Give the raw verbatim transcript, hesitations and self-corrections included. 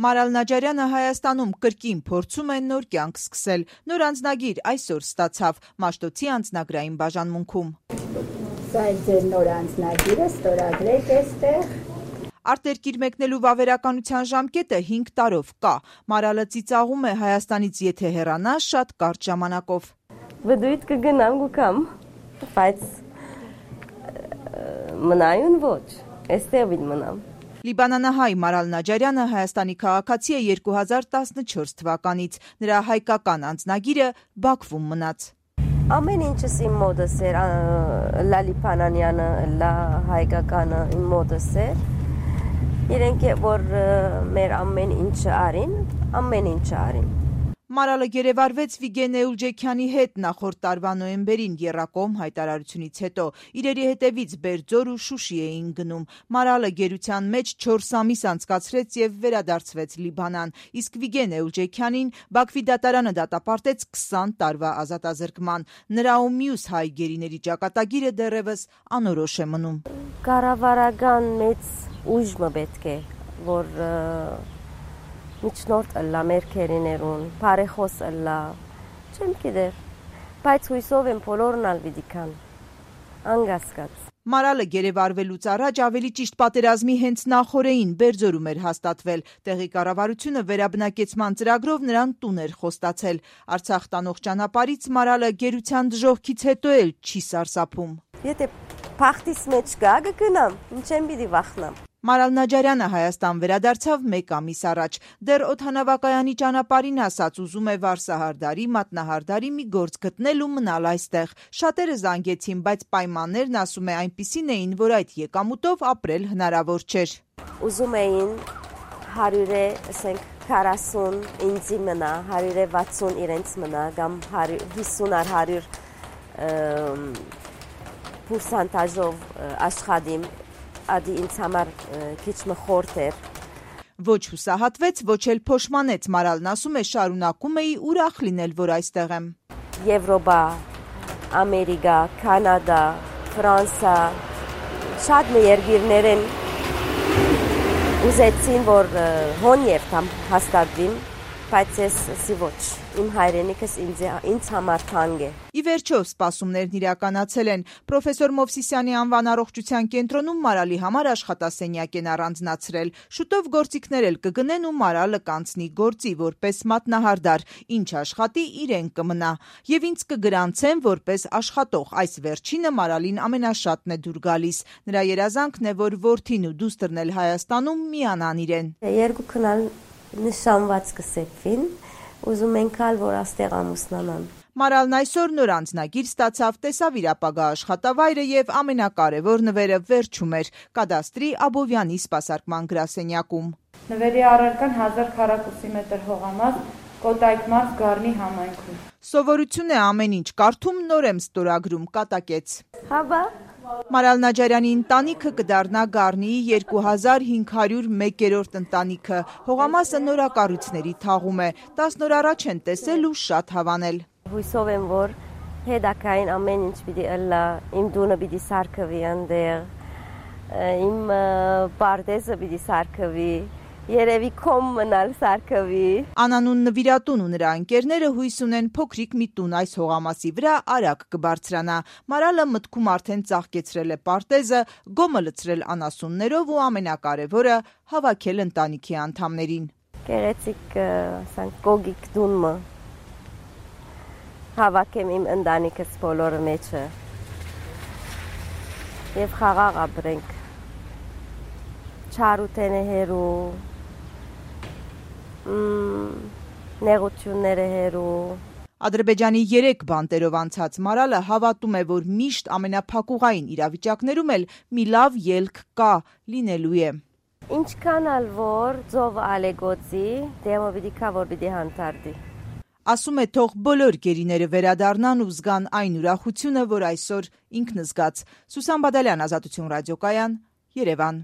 Մարալ Նաջարյանը Հայաստանում կրկին փորձում է նոր կյանք սկսել։ Նոր անձնագիր այսօր ստացավ Մաշտոցի անձնագրային բաժանմունքում։ Սա է ձեր նոր անձնագիրը, ստորագրեք էստեղ։ Արտերկիր մեկնելու վավերականության ժամկետը հինգ տարով կա։ Մարալը ծիծաղում է Հայաստանից եթե հեռանա շատ կարճ ժամանակով։ Բդույթ կգնամ գուկամ, բայց մնայուն ոչ, էստեղ վիդ մնամ։ Լիբանանահայ Մարալ Նաջարյանը Հայաստանի քաղաքացի է երկու հազար տասնչորս թվականից, նրա հայկական անձնագիրը Բաքվում մնաց։ Ամեն ինչս իմ մոտս էր, լա Լիբանանյանը, լա հայկականը իմ մոտս էր, իրենք որ մեր ամեն ինչը արին, ամեն ինչը արին։ Մարալը գերեվարվեց Վիգեն Էուլջեքյանի հետ նախորդ տարվա նոյեմբերին եռակողմ հայտարարությունից հետո։ Իրերի հետևից Բերձոր ու Շուշի էին գնում։ Մարալը գերության մեջ չորս ամիս անցկացրեց եւ վերադարձվեց Լիբանան, իսկ Վիգեն Էուլջեքյանին Բաքվի դատարանը դատապարտեց քսան տարվա ազատազրկման։ Նրա ու մյուս հայ գերիների ճակատագիրը դեռևս անորոշ է մնում։ Կառավարական մեծ ուժը պետք է, որ միջնորդ ըլլա մեր քերիներուն, բարեխոս ըլլա, չեմ գիտեր, բայց հույսով եմ բոլորն ալ վիդիկան, անգասկած։ Մարալը գերեվարվելուց առաջ ավելի ճիշտ պատերազմի հենց նախօրեին Բերձորում էր հաստատվել։ Տեղի կառավարությունը վերաբնակեցման ծրագրով նրան տուն էր խոստացել։ Արցախ տանող ճանապարհից Մարալը գերության դժոխքից հետո էլ չի սարսափում։ Եթե փախտիս մեջ գա գնամ, ինչ եմ պիտի վախնամ։ Մարալ Նաջարյանը Հայաստան վերադարձավ մեկ ամիս առաջ։ Դեռ օդանավակայանի ճանապարհին ասաց ուզում է Վարսահարդարի, Մատնահարդարի մի գործ գտնել ու մնալ այստեղ։ Շատերը զանգեցին, բայց պայմաններն ասում է այնպիսին էին, որ այդ եկամուտով ապրել հնարավոր չէր։ Ուզում էին հարյուրը, ասենք քառասուն ինձի մնա, հարյուրը վաթսուն իրենց մնա, կամ հիսուն առ հարյուր պուրսանտաժով աշխատիմ։ Ադի ինձ համար քիչ մխորտ էր։ Ոչ հուսահատվեց, ոչ էլ փոշմանեց։ Մարալն ասում է շարունակում էի ուրախ լինել, որ այստեղ եմ։ Եվրոպա, Ամերիկա, Կանադա, Ֆրանսա, շատ երկիրներ են ուզեցին, որ հոն եւ կամ հաստատվին, բայց ես սի ոչ, իմ հայրենիքս ինձ, ինձ համար թանկ է։ Ի վերջո սպասումներն իրականացել են։ Պրոֆեսոր Մովսիսյանի անվան առողջության կենտրոնում Մարալի համար աշխատասենյակ են առանձնացրել։ Շուտով գործիքներ էլ կգնեն ու Մարալը կանցնի գործի որպես մատնահարդար, ինչ աշխատի իրեն կմնա։ Եվ ինձ կգրանցեն որպես աշխատող։ Այս վերջինը Մարալին ամենաշատն է դուր գալիս։ Նրա երազանքն է, որ որդին ու դուստրն էլ Հայաստանում միանան իրեն։ Երկու քնալ նշանված կսեփվին, ուզում ենք ալ, որ աստեղ ամուսնանան։ Մարալն այսօր նոր անձնագիր ստացավ, տեսավ իր ապագա աշխատավայրը եւ ամենակարևոր նվերը վերջում էր կադաստրի Աբովյանի սպասարկման գրասենյակում։ Նվերի առարկան հազար քառակուսի մետր հողամաս Կոտայք մարզ Գառնի համայնքում։ Սովորություն է ամեն ինչ կարդում, նոր եմ ստորագրում, կատակեց։ Հավա Մարալ Նաջարյանի ընտանիքը կդառնա Գառնիի երկու հազար հինգ հարյուր մեկերորդ ընտանիքը։ Հողամասը նորակառույցների թաղում է։ տասն օր առաջ են տեսել ու շատ հավանել։ Հույսով եմ, որ հետագային ամեն ինչ պիտի ըլլա, իմ դունը պիտի սարքվի այնտեղ, իմ պարտեզը պիտի սարքվի, երևի կոմ մնալ սարքվի։ Անանուն նվիրատուն ու նրա ընկերները հույս ունեն փոքրիկ մի տուն այս հողամասի վրա արագ կբարձրանա։ Մարալը մտքում արդեն ծաղկեցրել է պարտեզը, գոմը լցրել անասուններով ու ամենակարևորը հավաքել ընտանիքի անդամներին։ Գեղեցիկ ասենք գոգիկ դունը հավաքեմ իմ ընտանիքս բոլորը մեջը եւ խաղաղ ապրենք։ Չարութենը հերու նեղությունները հերու։ Ադրբեջանի երեք բանտերով անցած Մարալը հավատում է, որ միշտ ամենափակուղային իրավիճակներում էլ մի լավ ելք կա, լինելու է։ Ինչքան ալ որ ձով ալեգոցի, դեմը պիտի կա, որ պիտի հանդարտի։ Ասում է թող բոլոր գերիները վերադառնան ու զգան այն ուրախությունը, որ այսօր ինքն զգաց։ Սուսան Բադալյան, Ազատություն ռադիոկայան, Երևան։